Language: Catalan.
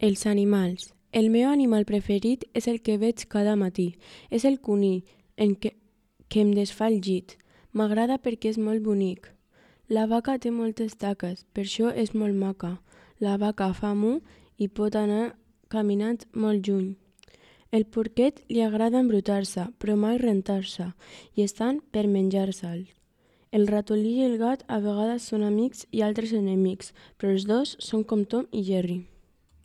Els animals. El meu animal preferit és el que veig cada matí. És el conill, que em desfà el llit. M'agrada perquè és molt bonic. La vaca té moltes taques, per això és molt maca. La vaca fa mu i pot anar caminant molt lluny. El porquet li agrada embrutar-se, però mai rentar-se, i estan per menjar-se'l. El ratolí i el gat a vegades són amics i altres enemics, però els dos són com Tom i Jerry.